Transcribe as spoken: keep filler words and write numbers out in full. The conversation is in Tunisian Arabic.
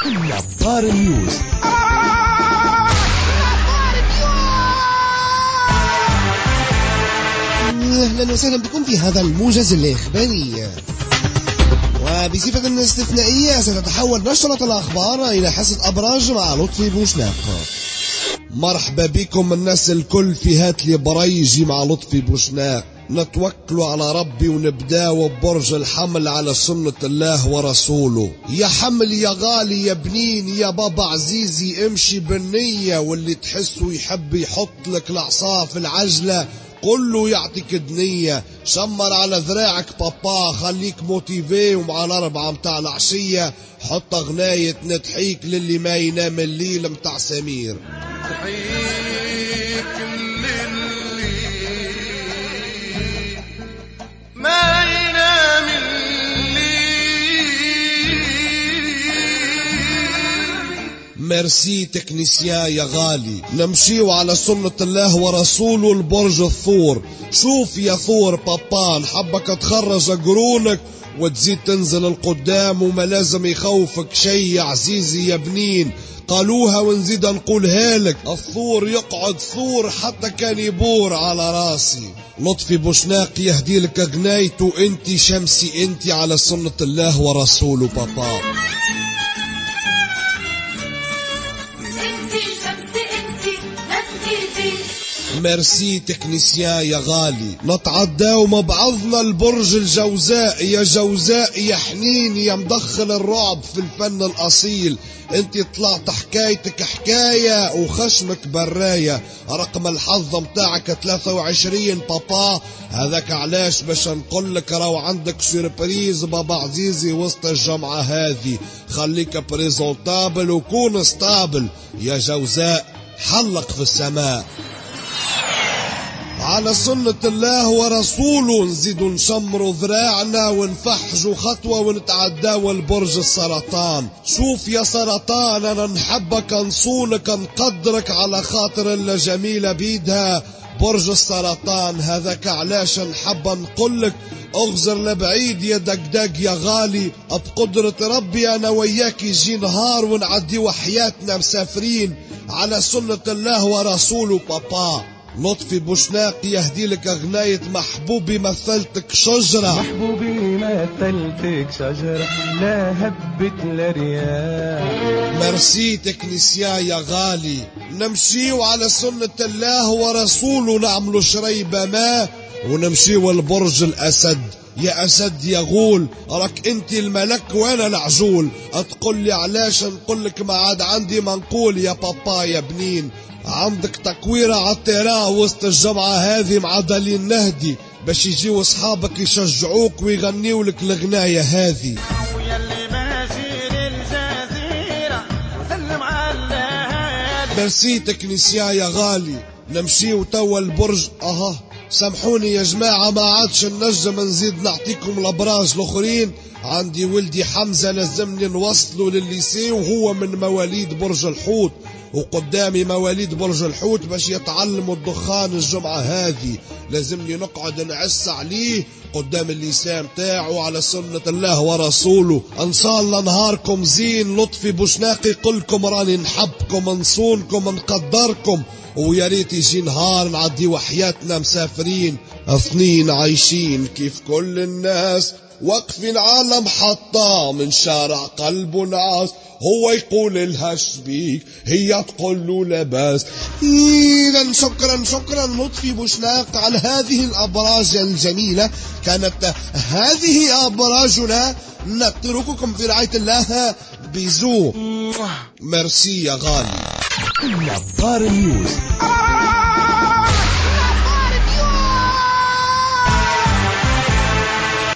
نبار نيوز. أهلا وسهلا بكم في هذا الموجز الإخباري. وبصفة استثنائية ستتحول نشرة الأخبار إلى حصة أبراج مع لطفي بوشناق. مرحبا بكم الناس الكل في هاتلي بريجي مع لطفي بوشناق. نتوكلوا على ربي ونبداو ببرج الحمل على سنة الله ورسوله. يا حمل يا غالي يا بنين يا بابا عزيزي، امشي بالنية، واللي تحسه يحب يحط لك العصا في العجلة قل له يعطيك دنية. شمر على ذراعك بابا، خليك motivé، ومع الأربعة متاع العشية حط غناية نتحيك للي ما ينام الليل متاع سمير. نتحيك للي ما ينام الليل. merci technicien يا غالي. نمشيو على سنة الله ورسوله البرج الثور. شوف يا ثور بابا، نحبك تخرج قرونك وتزيد تنزل القدام، وما لازم يخوفك شي يا عزيزي يا بنين. قالوها ونزيد نقولها لك، الثور يقعد ثور حتى كان يبور على راسي. لطفي بوشناق يهدي لك غنايته انت شمسي انت على سنة الله ورسوله بابا. merci technicien يا غالي. نتعداو مع بعضنا البرج الجوزاء. يا جوزاء يا حنين يا مدخل الرعب في الفن الأصيل، انت طلعت حكايتك حكاية وخشمك براية. رقم الحظ متاعك ثلاثة وعشرين بابا، هذاك علاش باش نقولك راهو عندك surprise بابا عزيزي وسط الجمعة هذه. خليك présentable وكون stable يا جوزاء، حلق في السماء على سنة الله ورسوله. نزيدو نشمرو ذراعنا ونفحجو خطوة ونتعداو البرج السرطان. شوف يا سرطان، أنا نحبك نصونك نقدرك على خاطر اللي جميلة بيدها برج السرطان. هذاك علاش نحب نقولك اغزر لبعيد يا دقدق يا غالي. بقدرة ربي أنا وياك يجي نهار ونعديو حياتنا مسافرين على سنة الله ورسوله بابا. لطفي بوشناق يهدي لك غناية محبوبي مثلتك شجرة. محبوبي مثلتك شجرة لا هبت لا رياح. merci technicien يا غالي. نمشيو على سنة الله ورسوله، نعملو شريبة ما ونمشيو البرج الأسد. يا أسد يا غول، راك انت الملك وانا العجول. تقول لي علاش نقول لك ما عاد عندي ما نقول يا بابا يا بنين. عندك تكويرة على ال terrain وسط الجمعة هذه مع دليل نهدي باش يجيو اصحابك يشجعوك ويغنيو لك الغناية هذه. merci technicien يا غالي. نمشيو توا البرج. اها سامحوني يا جماعة ما عادش نجم نزيد نعطيكم الابراج الاخرين. عندي ولدي حمزة لازمني نوصله للل lycée وهو من مواليد برج الحوت، وقدامي مواليد برج الحوت باش يتعلموا الدخان الجمعة هذه. لازمني نقعد نعس عليه قدام ال lycée متاعه على سنة الله ورسوله. ان شاء الله نهاركم زين. لطفي بوشناقي يقولكم راني نحبكم نصونكم نقدركم، ويا ريت يجي نهار نعديو حياتنا مسافرين اثنين عايشين كيف كل الناس، واقفين على محطة من شارع قلبه نعاس. هو يقول لها شبيك، هي تقول له لاباس. إذا شكرا شكرا لطفي بوشناق على هذه الأبراج الجميلة. كانت هذه أبراجنا، نترككم في رعاية الله. bisous merci يا غالي. نبار نيوز.